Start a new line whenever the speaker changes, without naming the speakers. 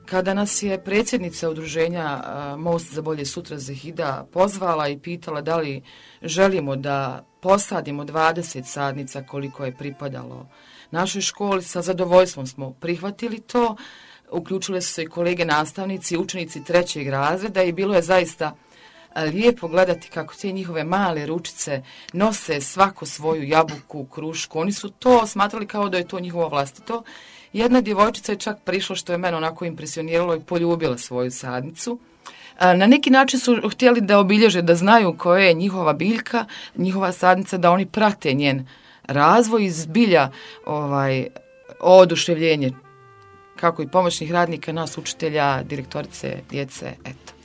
kada nas je predsjednica udruženja Most za bolje sutra Zahida pozvala i pitala da li želimo da posadimo 20 sadnica koliko je pripadalo našoj školi, sa zadovoljstvom smo prihvatili to. Uključile su se i kolege nastavnici, učenici 3. razreda i bilo je zaista lijepo gledati kako te njihove male ručice nose svako svoju jabuku, krušku. Oni su to smatrali kao da je to njihovo vlastito. Jedna djevojčica je čak prišla, što je mene onako impresioniralo, i poljubila svoju sadnicu. Na neki način su htjeli da obilježe, da znaju koja je njihova biljka, njihova sadnica, da oni prate njen razvoj i zbilja oduševljenje kako i pomoćnih radnika, nas učitelja, direktorice, djece, eto.